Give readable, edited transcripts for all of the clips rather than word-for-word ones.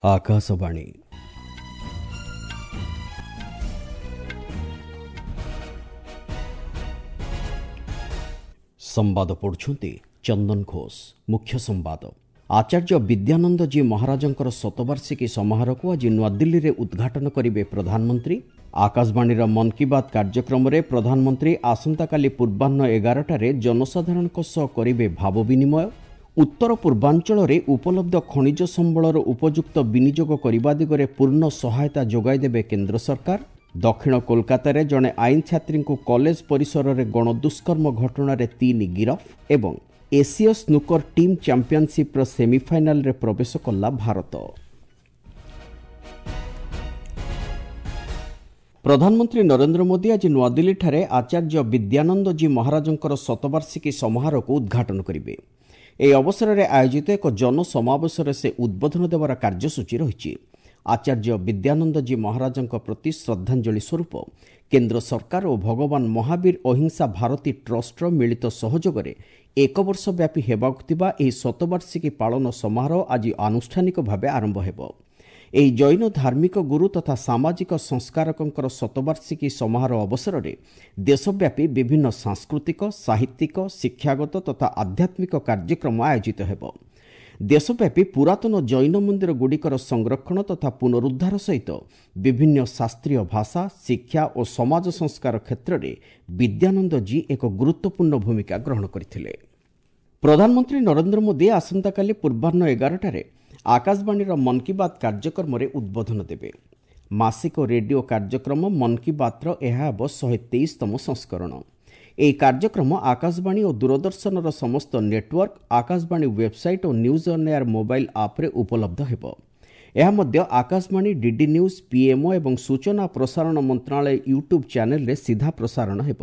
ଆକାଶବାଣୀ। ସମ୍ବାଦ ପଢୁଛନ୍ତି ଚନ୍ଦନ ଘୋଷ। ମୁଖ୍ୟ ସମ୍ବାଦ। ଆଚାର୍ଯ୍ୟ ବିଦ୍ୟାନନ୍ଦଜୀ ମହାରାଜଙ୍କର ଶତବାର୍ଷିକୀ ସମାରୋହକୁ ଆଜି ନୂଆଦିଲ୍ଲୀରେ ଉଦ୍ଘାଟନ କରିବେ ପ୍ରଧାନମନ୍ତ୍ରୀ। ଆକାଶବାଣୀର ମନ୍ କି ବାତ୍ କାର୍ଯ୍ୟକ୍ରମରେ ପ୍ରଧାନମନ୍ତ୍ରୀ ଆସନ୍ତାକାଲି ପୂର୍ବାହ୍ନ 11ଟାରେ ଜନସାଧାରଣଙ୍କ ସହ କରିବେ ଭାବ ବିନିମୟ। ଉତ୍ତର ପୂର୍ବାଞ୍ଚଳରେ ଉପଲବ୍ଧ ଖଣିଜ ସମ୍ବଳର ଉପଯୁକ୍ତ ବିନିଯୋଗ କରିବା ଦିଗରେ ପୂର୍ଣ୍ଣ ସହାୟତା ଯୋଗାଇ ଦେବେ କେନ୍ଦ୍ର ସରକାର। ଦକ୍ଷିଣ କୋଲକାତାରେ ଜଣେ ଆଇନ ଛାତ୍ରୀଙ୍କୁ କଲେଜ ପରିସରରେ ଗଣଦୁଷ୍କର୍ମ ଘଟଣାରେ 3 ଗିରଫ ଏବଂ ଏସୀୟ ସ୍ନୁକର ଟିମ୍ ଚାମ୍ପିୟନସିପ୍ର ସେମିଫାଇନାଲରେ ପ୍ରବେଶ କଲା ଭାରତ। ପ୍ରଧାନମନ୍ତ୍ରୀ ନରେନ୍ଦ୍ର ମୋଦି ଆଜି ନୂଆଦିଲ୍ଲୀଠାରେ ଆଚାର୍ଯ୍ୟ ବିଦ୍ୟାନନ୍ଦଜୀ ମହାରାଜଙ୍କର ଶତବାର୍ଷିକୀ ସମାରୋହକୁ ଉଦ୍ଘାଟନ କରିବେ। ଏହି ଅବସରରେ ଆୟୋଜିତ ଏକ ଜନସମାବେଶରେ ସେ ଉଦ୍ବୋଧନ ଦେବାର କାର୍ଯ୍ୟସୂଚୀ ରହିଛି। ଆଚାର୍ଯ୍ୟ ବିଦ୍ୟାନନ୍ଦଜୀ ମହାରାଜଙ୍କ ପ୍ରତି ଶ୍ରଦ୍ଧାଞ୍ଜଳି ସ୍ୱରୂପ କେନ୍ଦ୍ର ସରକାର ଓ ଭଗବାନ ମହାବୀର ଅହିଂସା ଭାରତୀ ଟ୍ରଷ୍ଟର ମିଳିତ ସହଯୋଗରେ ଏକ ବର୍ଷ ବ୍ୟାପୀ ହେବାକୁ ଥିବା ଏହି ଶତବାର୍ଷିକୀ ପାଳନ ସମାରୋହ ଆଜି ଆନୁଷ୍ଠାନିକ ଭାବେ ଆରମ୍ଭ ହେବ। ଏହି ଜୈନ ଧାର୍ମିକ ଗୁରୁ ତଥା ସାମାଜିକ ସଂସ୍କାରକଙ୍କର ଶତବାର୍ଷିକୀ ସମାରୋହ ଅବସରରେ ଦେଶବ୍ୟାପୀ ବିଭିନ୍ନ ସାଂସ୍କୃତିକ, ସାହିତ୍ୟିକ, ଶିକ୍ଷାଗତ ତଥା ଆଧ୍ୟାତ୍ମିକ କାର୍ଯ୍ୟକ୍ରମ ଆୟୋଜିତ ହେବ। ଦେଶବ୍ୟାପୀ ପୁରାତନ ଜୈନ ମନ୍ଦିରଗୁଡ଼ିକର ସଂରକ୍ଷଣ ତଥା ପୁନରୁଦ୍ଧାର ସହିତ ବିଭିନ୍ନ ଶାସ୍ତ୍ରୀୟ ଭାଷା, ଶିକ୍ଷା ଓ ସମାଜ ସଂସ୍କାର କ୍ଷେତ୍ରରେ ବିଦ୍ୟାନନ୍ଦଜୀ ଏକ ଗୁରୁତ୍ୱପୂର୍ଣ୍ଣ ଭୂମିକା ଗ୍ରହଣ କରିଥିଲେ। ପ୍ରଧାନମନ୍ତ୍ରୀ ନରେନ୍ଦ୍ର ମୋଦି ଆସନ୍ତାକାଲି ପୂର୍ବାହ୍ନ 11ଟାରେ ଆକାଶବାଣୀର ମନ୍ କି ବାତ୍ କାର୍ଯ୍ୟକ୍ରମରେ ଉଦ୍ବୋଧନ ଦେବେ। ମାସିକ ରେଡିଓ କାର୍ଯ୍ୟକ୍ରମ ମନ୍ କି ବାତ୍ର ଏହା ହେବ 123ତମ ସଂସ୍କରଣ। ଏହି କାର୍ଯ୍ୟକ୍ରମ ଆକାଶବାଣୀ ଓ ଦୂରଦର୍ଶନର ସମସ୍ତ network, Akashvani website O news on air mobile ଆପ୍ରେ ଉପଲବ୍ଧ ହେବ। ଏହା ମଧ୍ୟ ଆକାଶବାଣୀ, ଡିଡି ନ୍ୟୁଜ୍, ପିଏମ୍ଓ ଏବଂ ସୂଚନା ପ୍ରସାରଣ ମନ୍ତ୍ରଣାଳୟ ୟୁଟ୍ୟୁବ୍ ଚ୍ୟାନେଲରେ ସିଧା ପ୍ରସାରଣ ହେବ।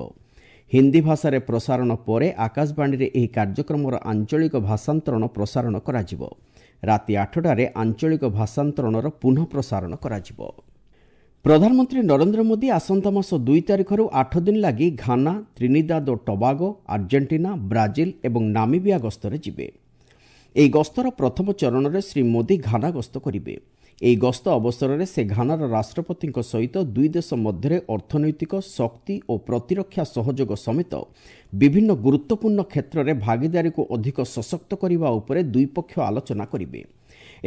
ହିନ୍ଦୀ ଭାଷାରେ ପ୍ରସାରଣ ପରେ ଆକାଶବାଣୀରେ ଏହି କାର୍ଯ୍ୟକ୍ରମର ଆଞ୍ଚଳିକ ଭାଷାନ୍ତରଣ ପ୍ରସାରଣ କରାଯିବ। ରାତି 8ଟାରେ ଆଞ୍ଚଳିକ ଭାଷାନ୍ତରଣର ପୁନଃ ପ୍ରସାରଣ କରାଯିବ। ପ୍ରଧାନମନ୍ତ୍ରୀ ନରେନ୍ଦ୍ର ମୋଦି ଆସନ୍ତା ମାସ 2 ତାରିଖରୁ 8 ଦିନ ଲାଗି ଘାନା, ତ୍ରିନିଦାଦ ଓ ଟବାଗୋ, ଆର୍ଜେଣ୍ଟିନା, ବ୍ରାଜିଲ ଏବଂ ନାମିବିଆ ଗସ୍ତରେ ଯିବେ। ଏହି ଗସ୍ତର ପ୍ରଥମ ଚରଣରେ ଶ୍ରୀ ମୋଦି ଘାନା ଗସ୍ତ କରିବେ। ଏହି ଗସ୍ତ ଅବସରରେ ସେ ଘାନାର ରାଷ୍ଟ୍ରପତିଙ୍କ ସହିତ ଦୁଇ ଦେଶ ମଧ୍ୟରେ ଅର୍ଥନୈତିକ, ଶକ୍ତି ଓ ପ୍ରତିରକ୍ଷା ସହଯୋଗ ସମେତ ବିଭିନ୍ନ ଗୁରୁତ୍ୱପୂର୍ଣ୍ଣ କ୍ଷେତ୍ରରେ ଭାଗିଦାରୀକୁ ଅଧିକ ସଶକ୍ତ କରିବା ଉପରେ ଦୁଇପକ୍ଷ ଆଲୋଚନା କରିବେ।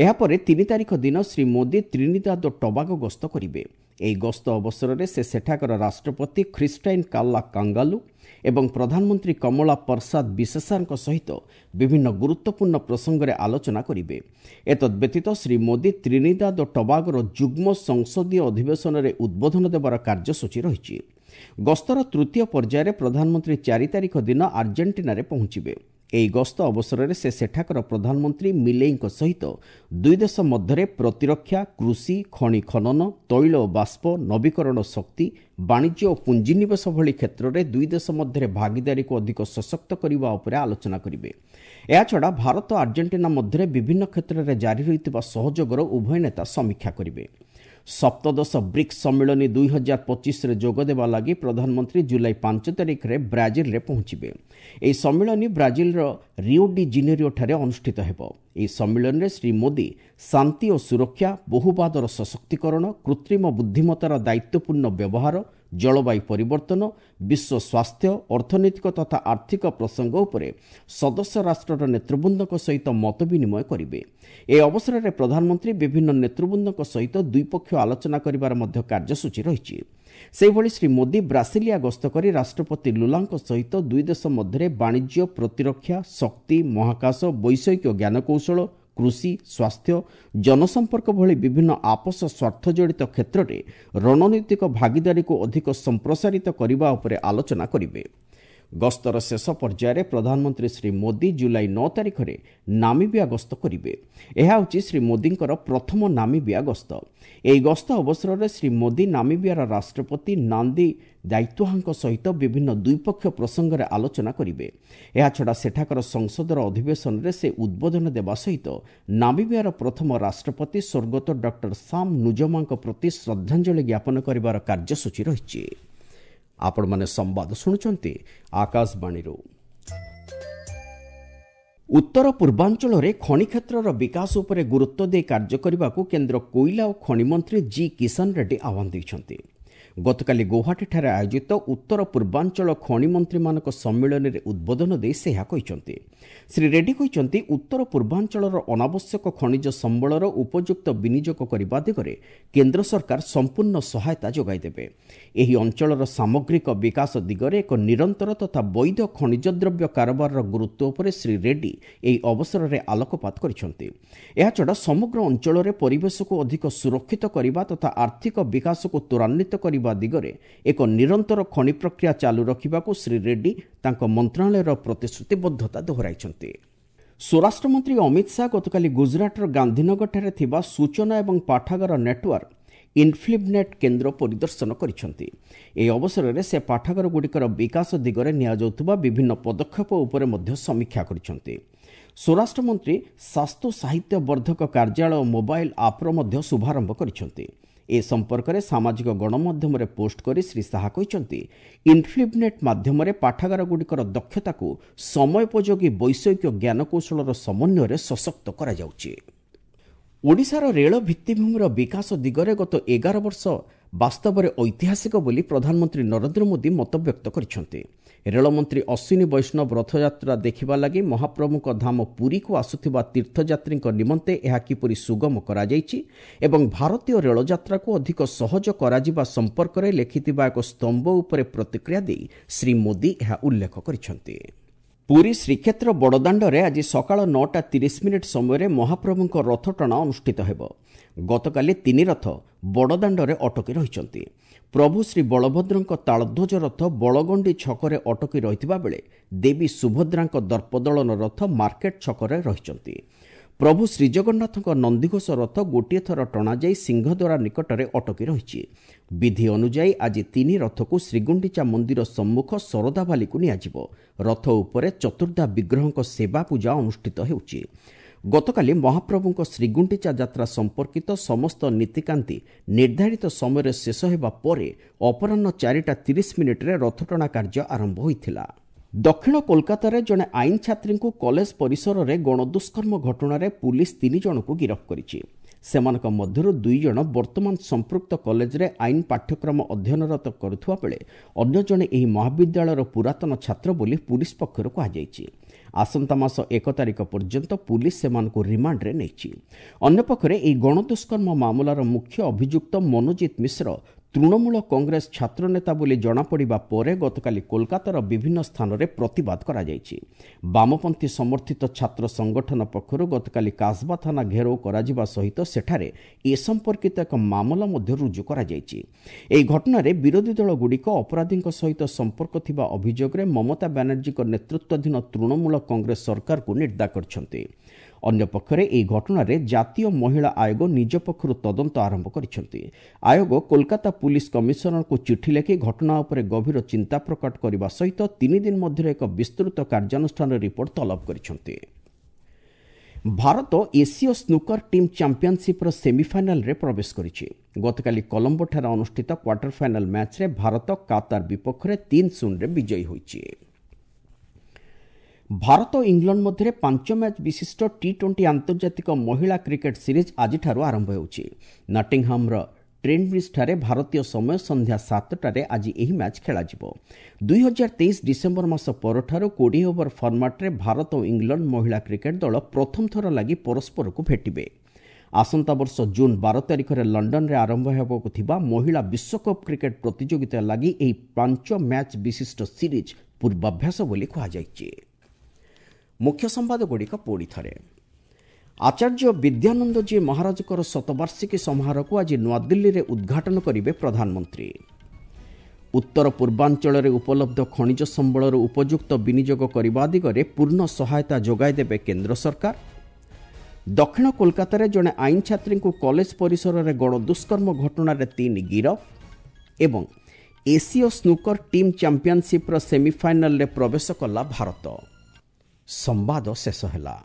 ଏହାପରେ 3 ତାରିଖ ଦିନ ଶ୍ରୀ ମୋଦି ତ୍ରିନିଦାଦ ଓ ଟବାଗୋ ଗସ୍ତ କରିବେ। ଏହି ଗସ୍ତ ଅବସରରେ ସେ ସେଠାକାର ରାଷ୍ଟ୍ରପତି ଖ୍ରୀଷ୍ଟାଇନ୍ କାଲ୍ଲା କାଙ୍ଗାଲୁ ଏବଂ ପ୍ରଧାନମନ୍ତ୍ରୀ କମଳା ପ୍ରସାଦ ବିଶେଷାରଙ୍କ ସହିତ ବିଭିନ୍ନ ଗୁରୁତ୍ୱପୂର୍ଣ୍ଣ ପ୍ରସଙ୍ଗରେ ଆଲୋଚନା କରିବେ। ଏତଦ୍ବ୍ୟତୀତ ଶ୍ରୀ ମୋଦି ତ୍ରିନିଦାଦ ଓ ଟବାଗୋର ଯୁଗ୍ମ ସଂସଦୀୟ ଅଧିବେଶନରେ ଉଦ୍ବୋଧନ ଦେବାର କାର୍ଯ୍ୟସୂଚୀ ରହିଛି। ଗସ୍ତର ତୃତୀୟ ପର୍ଯ୍ୟାୟରେ ପ୍ରଧାନମନ୍ତ୍ରୀ 4 ତାରିଖ ଦିନ ଆର୍ଜେଣ୍ଟିନାରେ ପହଞ୍ଚିବେ। ଏହି ଗସ୍ତ ଅବସରରେ ସେ ସେଠାକାର ପ୍ରଧାନମନ୍ତ୍ରୀ ମିଲେଇଙ୍କ ସହିତ ଦୁଇ ଦେଶ ମଧ୍ୟରେ ପ୍ରତିରକ୍ଷା, କୃଷି, ଖଣି ଖନନ, ତୈଳ ଓ ବାଷ୍ପ, ନବୀକରଣ ଶକ୍ତି, ବାଣିଜ୍ୟ ଓ ପୁଞ୍ଜିନିବେଶ ଭଳି କ୍ଷେତ୍ରରେ ଦୁଇ ଦେଶ ମଧ୍ୟରେ ଭାଗିଦାରୀକୁ ଅଧିକ ସଶକ୍ତ କରିବା ଉପରେ ଆଲୋଚନା କରିବେ। ଏହାଛଡ଼ା ଭାରତ ଆର୍ଜେଣ୍ଟିନା ମଧ୍ୟରେ ବିଭିନ୍ନ କ୍ଷେତ୍ରରେ ଜାରି ରହିଥିବା ସହଯୋଗର ଉଭୟ ନେତା ସମୀକ୍ଷା କରିବେ। ସପ୍ତଦଶ ବ୍ରିକ୍ସ ସମ୍ମିଳନୀ 2025ରେ ଯୋଗଦେବା ଲାଗି ପ୍ରଧାନମନ୍ତ୍ରୀ ଜୁଲାଇ 5 ତାରିଖରେ ବ୍ରାଜିଲରେ ପହଞ୍ଚିବେ। ଏହି ସମ୍ମିଳନୀ ବ୍ରାଜିଲର ରିଓ ଡି ଜିନେରିଓଠାରେ ଅନୁଷ୍ଠିତ ହେବ। ଏହି ସମ୍ମିଳନୀରେ ଶ୍ରୀ ମୋଦି ଶାନ୍ତି ଓ ସୁରକ୍ଷା, ବହୁବାଦର ସଶକ୍ତିକରଣ, କୃତ୍ରିମ ବୁଦ୍ଧିମତ୍ତାର ଦାୟିତ୍ୱପୂର୍ଣ୍ଣ ବ୍ୟବହାର, ଜଳବାୟୁ ପରିବର୍ତ୍ତନ, ବିଶ୍ୱ ସ୍ୱାସ୍ଥ୍ୟ, ଅର୍ଥନୈତିକ ତଥା ଆର୍ଥିକ ପ୍ରସଙ୍ଗ ଉପରେ ସଦସ୍ୟ ରାଷ୍ଟ୍ରର ନେତୃବୃନ୍ଦଙ୍କ ସହିତ ମତ ବିନିମୟ କରିବେ। ଏହି ଅବସରରେ ପ୍ରଧାନମନ୍ତ୍ରୀ ବିଭିନ୍ନ ନେତୃବୃନ୍ଦଙ୍କ ସହିତ ଦ୍ୱିପକ୍ଷୀୟ ଆଲୋଚନା କରିବାର ମଧ୍ୟ କାର୍ଯ୍ୟସୂଚୀ ରହିଛି। ସେହିଭଳି ଶ୍ରୀ ମୋଦି ବ୍ରାସିଲିଆ ଗସ୍ତ କରି ରାଷ୍ଟ୍ରପତି ଲୁଲାଙ୍କ ସହିତ ଦୁଇ ଦେଶ ମଧ୍ୟରେ ବାଣିଜ୍ୟ, ପ୍ରତିରକ୍ଷା, ଶକ୍ତି, ମହାକାଶ, ବୈଷୟିକ ଜ୍ଞାନକୌଶଳ, କୃଷି, ସ୍ୱାସ୍ଥ୍ୟ, ଜନସମ୍ପର୍କ ଭଳି ବିଭିନ୍ନ ଆପୋଷ ସ୍ୱାର୍ଥ ଜଡ଼ିତ କ୍ଷେତ୍ରରେ ରଣନୈତିକ ଭାଗିଦାରୀକୁ ଅଧିକ ସମ୍ପ୍ରସାରିତ କରିବା ଉପରେ ଆଲୋଚନା କରିବେ। ଗସ୍ତର ଶେଷ ପର୍ଯ୍ୟାୟରେ ପ୍ରଧାନମନ୍ତ୍ରୀ ଶ୍ରୀ ମୋଦି ଜୁଲାଇ 9 ତାରିଖରେ ନାମିବିଆ ଗସ୍ତ କରିବେ। ଏହା ହେଉଛି ଶ୍ରୀ ମୋଦିଙ୍କର ପ୍ରଥମ ନାମିବିଆ ଗସ୍ତ। ଏହି ଗସ୍ତ ଅବସରରେ ଶ୍ରୀ ମୋଦି ନାମିବିଆର ରାଷ୍ଟ୍ରପତି ନାନ୍ଦି ଦାୟିତ୍ୱହାଙ୍କ ସହିତ ବିଭିନ୍ନ ଦ୍ୱିପକ୍ଷୀୟ ପ୍ରସଙ୍ଗରେ ଆଲୋଚନା କରିବେ। ଏହାଛଡ଼ା ସେଠାକାର ସଂସଦର ଅଧିବେଶନରେ ସେ ଉଦ୍ବୋଧନ ଦେବା ସହିତ ନାମିବିଆର ପ୍ରଥମ ରାଷ୍ଟ୍ରପତି ସ୍ୱର୍ଗତ ଡକ୍ଟର ସାମ୍ ନୁଜମାଙ୍କ ପ୍ରତି ଶ୍ରଦ୍ଧାଞ୍ଜଳି ଜ୍ଞାପନ କରିବାର କାର୍ଯ୍ୟସୂଚୀ ରହିଛି। ଆପଣମାନେ ସମ୍ବାଦ ଶୁଣୁଛନ୍ତି ଆକାଶବାଣୀରୁ। ଉତ୍ତର ପୂର୍ବାଞ୍ଚଳରେ ଖଣି କ୍ଷେତ୍ରର ବିକାଶ ଉପରେ ଗୁରୁତ୍ୱ ଦେଇ କାର୍ଯ୍ୟ କରିବାକୁ କେନ୍ଦ୍ର କୋଇଲା ଓ ଖଣି ମନ୍ତ୍ରୀ ଜି କିଷାନ ରେଡ୍ଡି ଆହ୍ୱାନ ଦେଇଛନ୍ତି। ଗତକାଲି ଗୌହାଟୀଠାରେ ଆୟୋଜିତ ଉତ୍ତର ପୂର୍ବାଞ୍ଚଳ ଖଣି ମନ୍ତ୍ରୀମାନଙ୍କ ସମ୍ମିଳନୀରେ ଉଦ୍ବୋଧନ ଦେଇ ସେ ଏହା କହିଛନ୍ତି। ଶ୍ରୀ ରେଡ୍ଡି କହିଛନ୍ତି, ଉତ୍ତର ପୂର୍ବାଞ୍ଚଳର ଅନାବଶ୍ୟକ ଖଣିଜ ସମ୍ବଳର ଉପଯୁକ୍ତ ବିନିଯୋଗ କରିବା ଦିଗରେ କେନ୍ଦ୍ର ସରକାର ସମ୍ପୂର୍ଣ୍ଣ ସହାୟତା ଯୋଗାଇ ଦେବେ। ଏହି ଅଞ୍ଚଳର ସାମଗ୍ରିକ ବିକାଶ ଦିଗରେ ଏକ ନିରନ୍ତର ତଥା ବୈଧ ଖଣିଜ ଦ୍ରବ୍ୟ କାରବାରର ଗୁରୁତ୍ୱ ଉପରେ ଶ୍ରୀ ରେଡ୍ଡି ଏହି ଅବସରରେ ଆଲୋକପାତ କରିଛନ୍ତି। ଏହାଛଡ଼ା ସମଗ୍ର ଅଞ୍ଚଳରେ ପରିବେଶକୁ ଅଧିକ ସୁରକ୍ଷିତ କରିବା ତଥା ଆର୍ଥିକ ବିକାଶକୁ ତ୍ୱରାନ୍ୱିତ କରିବା ଦିଗରେ ଏକ ନିରନ୍ତର ଖଣି ପ୍ରକ୍ରିୟା ଚାଲୁ ରଖିବାକୁ ଶ୍ରୀ ରେଡ୍ଡି ତାଙ୍କ ମନ୍ତ୍ରଣାଳୟର ପ୍ରତିଶ୍ରୁତିବଦ୍ଧତା ଦୋହରାଇଛନ୍ତି। ସ୍ୱରାଷ୍ଟ୍ରମନ୍ତ୍ରୀ ଅମିତ ଶାହା ଗତକାଲି ଗୁଜରାଟର ଗାନ୍ଧୀନଗରଠାରେ ଥିବା ସୂଚନା ଏବଂ ପାଠାଗାର ନେଟୱାର୍କ ଇନ୍ଫିବ୍ନେଟ୍ କେନ୍ଦ୍ର ପରିଦର୍ଶନ କରିଛନ୍ତି। ଏହି ଅବସରରେ ସେ ପାଠାଗାରଗୁଡ଼ିକର ବିକାଶ ଦିଗରେ ନିଆଯାଉଥିବା ବିଭିନ୍ନ ପଦକ୍ଷେପ ଉପରେ ମଧ୍ୟ ସମୀକ୍ଷା କରିଛନ୍ତି। ସ୍ୱରାଷ୍ଟ୍ରମନ୍ତ୍ରୀ ଶାସ୍ତୁ ସାହିତ୍ୟ ବର୍ଦ୍ଧକ କାର୍ଯ୍ୟାଳୟ ମୋବାଇଲ ଆପ୍ର ମଧ୍ୟ ଶୁଭାରମ୍ଭ କରିଛନ୍ତି। ଏ ସମ୍ପର୍କରେ ସାମାଜିକ ଗଣମାଧ୍ୟମରେ ପୋଷ୍ଟ କରି ଶ୍ରୀ ଶାହା କହିଛନ୍ତି, ଇନ୍ଫିବ୍ନେଟ୍ ମାଧ୍ୟମରେ ପାଠାଗାରଗୁଡ଼ିକର ଦକ୍ଷତାକୁ ସମୟୋପଯୋଗୀ ବୈଷୟିକ ଜ୍ଞାନକୌଶଳର ସମନ୍ୱୟରେ ସଶକ୍ତ କରାଯାଉଛି। ଓଡ଼ିଶାର ରେଳ ଭିତ୍ତିଭୂମିର ବିକାଶ ଦିଗରେ ଗତ 11 ବର୍ଷ ବାସ୍ତବରେ ଐତିହାସିକ ବୋଲି ପ୍ରଧାନମନ୍ତ୍ରୀ ନରେନ୍ଦ୍ର ମୋଦି ମତବ୍ୟକ୍ତ କରିଛନ୍ତି। ରେଳମନ୍ତ୍ରୀ ଅଶ୍ୱିନୀ ବୈଷ୍ଣବ ରଥଯାତ୍ରା ଦେଖିବା ଲାଗି ମହାପ୍ରଭୁଙ୍କ ଧାମ ପୁରୀକୁ ଆସୁଥିବା ତୀର୍ଥଯାତ୍ରୀଙ୍କ ନିମନ୍ତେ ଏହା କିପରି ସୁଗମ କରାଯାଇଛି ଏବଂ ଭାରତୀୟ ରେଳଯାତ୍ରାକୁ ଅଧିକ ସହଜ କରାଯିବା ସମ୍ପର୍କରେ ଲେଖିଥିବା ଏକ ସ୍ତମ୍ଭ ଉପରେ ପ୍ରତିକ୍ରିୟା ଦେଇ ଶ୍ରୀ ମୋଦି ଏହା ଉଲ୍ଲେଖ କରିଛନ୍ତି। ପୁରୀ ଶ୍ରୀକ୍ଷେତ୍ର ବଡ଼ଦାଣ୍ଡରେ ଆଜି ସକାଳ 9:30 ସମୟରେ ମହାପ୍ରଭୁଙ୍କ ରଥଟଣା ଅନୁଷ୍ଠିତ ହେବ। ଗତକାଲି 3 ରଥ ବଡ଼ଦାଣ୍ଡରେ ଅଟକି ରହିଛନ୍ତି। ପ୍ରଭୁ ଶ୍ରୀ ବଳଭଦ୍ରଙ୍କ ତାଳଧ୍ୱଜ ରଥ ବଳଗଣ୍ଡି ଛକରେ ଅଟକି ରହିଥିବା ବେଳେ ଦେବୀ ସୁଭଦ୍ରାଙ୍କ ଦର୍ପଦଳନ ରଥ ମାର୍କେଟ ଛକରେ ରହିଛନ୍ତି। ପ୍ରଭୁ ଶ୍ରୀଜଗନ୍ନାଥଙ୍କ ନନ୍ଦିଘୋଷ ରଥ ଗୋଟିଏ ଥର ଟଣାଯାଇ ସିଂହଦ୍ୱାର ନିକଟରେ ଅଟକି ରହିଛି। ବିଧି ଅନୁଯାୟୀ ଆଜି 3 ରଥକୁ ଶ୍ରୀଗୁଣ୍ଡିଚା ମନ୍ଦିର ସମ୍ମୁଖ ଶରଧାବାଲିକୁ ନିଆଯିବ। ରଥ ଉପରେ ଚତୁର୍ଦ୍ଧା ବିଗ୍ରହଙ୍କ ସେବା ପୂଜା ଅନୁଷ୍ଠିତ ହେଉଛି। ଗତକାଲି ମହାପ୍ରଭୁଙ୍କ ଶ୍ରୀଗୁଣ୍ଡିଚା ଯାତ୍ରା ସମ୍ପର୍କିତ ସମସ୍ତ ନୀତିକାନ୍ତି ନିର୍ଦ୍ଧାରିତ ସମୟରେ ଶେଷ ହେବା ପରେ ଅପରାହ୍ନ 4:30 ରଥଟଣା କାର୍ଯ୍ୟ ଆରମ୍ଭ ହୋଇଥିଲା। ଦକ୍ଷିଣ କୋଲକାତାରେ ଜଣେ ଆଇନ ଛାତ୍ରୀଙ୍କୁ କଲେଜ ପରିସରରେ ଗଣଦୁଷ୍କର୍ମ ଘଟଣାରେ ପୁଲିସ୍ 3 ଜଣଙ୍କୁ ଗିରଫ କରିଛି। ସେମାନଙ୍କ ମଧ୍ୟରୁ 2 ଜଣ ବର୍ତ୍ତମାନ ସମ୍ପୃକ୍ତ କଲେଜରେ ଆଇନ ପାଠ୍ୟକ୍ରମ ଅଧ୍ୟୟନରତ କରୁଥିବା ବେଳେ ଅନ୍ୟ ଜଣେ ଏହି ମହାବିଦ୍ୟାଳୟର ପୁରାତନ ଛାତ୍ର ବୋଲି ପୁଲିସ୍ ପକ୍ଷରୁ କୁହାଯାଇଛି। ଆସନ୍ତା ମାସ 1 ତାରିଖ ପର୍ଯ୍ୟନ୍ତ ପୁଲିସ୍ ସେମାନଙ୍କୁ ରିମାଣ୍ଡରେ ନେଇଛି। ଅନ୍ୟପକ୍ଷରେ ଏହି ଗଣଦୁଷ୍କର୍ମ ମାମଲାର ମୁଖ୍ୟ ଅଭିଯୁକ୍ତ ମନୋଜିତ ମିଶ୍ର ତୃଣମୂଳ କଂଗ୍ରେସ ଛାତ୍ରନେତା ବୋଲି ଜଣାପଡ଼ିବା ପରେ ଗତକାଲି କୋଲକାତାର ବିଭିନ୍ନ ସ୍ଥାନରେ ପ୍ରତିବାଦ କରାଯାଇଛି। ବାମପନ୍ଥୀ ସମର୍ଥିତ ଛାତ୍ର ସଂଗଠନ ପକ୍ଷରୁ ଗତକାଲି କାସବା ଥାନା ଘେରାଉ କରାଯିବା ସହିତ ସେଠାରେ ଏ ସମ୍ପର୍କିତ ଏକ ମାମଲା ମଧ୍ୟ ରୁଜୁ କରାଯାଇଛି। ଏହି ଘଟଣାରେ ବିରୋଧୀ ଦଳଗୁଡ଼ିକ ଅପରାଧୀଙ୍କ ସହିତ ସମ୍ପର୍କ ଥିବା ଅଭିଯୋଗରେ ମମତା ବାନାର୍ଜୀଙ୍କ ନେତୃତ୍ୱାଧୀନ ତୃଣମୂଳ କଂଗ୍ରେସ ସରକାରକୁ ନିନ୍ଦା କରିଛନ୍ତି। ଅନ୍ୟପକ୍ଷରେ ଏହି ଘଟଣାରେ ଜାତୀୟ ମହିଳା ଆୟୋଗ ନିଜ ପକ୍ଷରୁ ତଦନ୍ତ ଆରମ୍ଭ କରିଛନ୍ତି। ଆୟୋଗ କୋଲକାତା ପୁଲିସ କମିଶନରଙ୍କୁ ଚିଠି ଲେଖି ଘଟଣା ଉପରେ ଗଭୀର ଚିନ୍ତା ପ୍ରକଟ କରିବା ସହିତ 3 ଦିନ ମଧ୍ୟରେ ଏକ ବିସ୍ତୃତ କାର୍ଯ୍ୟାନୁଷ୍ଠାନ ରିପୋର୍ଟ ତଲବ କରିଛନ୍ତି। ଭାରତ ଏସୀୟ ସ୍ନୁକର ଟିମ୍ ଚାମ୍ପିୟନସିପ୍ର ସେମିଫାଇନାଲରେ ପ୍ରବେଶ କରିଛି। ଗତକାଲି କଲମ୍ବୋଠାରେ ଅନୁଷ୍ଠିତ କ୍ୱାର୍ଟର ଫାଇନାଲ ମ୍ୟାଚ୍ରେ ଭାରତ କାତାର ବିପକ୍ଷରେ 3-0ରେ ବିଜୟୀ ହୋଇଛି। ଭାରତ ଓ ଇଂଲଣ୍ଡ ମଧ୍ୟରେ 5 ମ୍ୟାଚ୍ ବିଶିଷ୍ଟ ଟି-20 ଆନ୍ତର୍ଜାତିକ ମହିଳା କ୍ରିକେଟ୍ ସିରିଜ୍ ଆଜିଠାରୁ ଆରମ୍ଭ ହେଉଛି। ନଟିଂହାମର ଟ୍ରେଣ୍ଟବ୍ରିଜ୍ଠାରେ ଭାରତୀୟ ସମୟ ସନ୍ଧ୍ୟା 7ଟାରେ ଆଜି ଏହି ମ୍ୟାଚ୍ ଖେଳାଯିବ। 2023 ଡିସେମ୍ବର ମାସ ପରଠାରୁ 20 ଓଭର ଫର୍ମାଟ୍ରେ ଭାରତ ଓ ଇଂଲଣ୍ଡ ମହିଳା କ୍ରିକେଟ୍ ଦଳ ପ୍ରଥମ ଥର ଲାଗି ପରସ୍ପରକୁ ଭେଟିବେ। ଆସନ୍ତା ବର୍ଷ ଜୁନ୍ 12 ତାରିଖରେ ଲଣ୍ଡନରେ ଆରମ୍ଭ ହେବାକୁ ଥିବା ମହିଳା ବିଶ୍ୱକପ୍ କ୍ରିକେଟ୍ ପ୍ରତିଯୋଗିତା ଲାଗି ଏହି 5 ମ୍ୟାଚ୍ ବିଶିଷ୍ଟ ସିରିଜ୍ ପୂର୍ବାଭ୍ୟାସ ବୋଲି କୁହାଯାଇଛି। ମୁଖ୍ୟ ସମ୍ବାଦଗୁଡ଼ିକ ପୁଣି ଥରେ। ଆଚାର୍ଯ୍ୟ ବିଦ୍ୟାନନ୍ଦଜୀ ମହାରାଜଙ୍କର ଶତବାର୍ଷିକୀ ସମାରୋହକୁ ଆଜି ନୂଆଦିଲ୍ଲୀରେ ଉଦ୍ଘାଟନ କରିବେ ପ୍ରଧାନମନ୍ତ୍ରୀ। ଉତ୍ତର ପୂର୍ବାଞ୍ଚଳରେ ଉପଲବ୍ଧ ଖଣିଜ ସମ୍ବଳର ଉପଯୁକ୍ତ ବିନିଯୋଗ କରିବା ଦିଗରେ ପୂର୍ଣ୍ଣ ସହାୟତା ଯୋଗାଇ ଦେବେ କେନ୍ଦ୍ର ସରକାର। ଦକ୍ଷିଣ କୋଲକାତାରେ ଜଣେ ଆଇନ ଛାତ୍ରୀଙ୍କୁ କଲେଜ ପରିସରରେ ଗଣଦୁଷ୍କର୍ମ ଘଟଣାରେ 3 ଗିରଫ ଏବଂ ଏସୀୟ ସ୍ନୁକର ଟିମ୍ ଚାମ୍ପିୟନସିପ୍ର ସେମିଫାଇନାଲରେ ପ୍ରବେଶ କଲା ଭାରତ। ସମ୍ବାଦ ଶେଷ ହେଲା।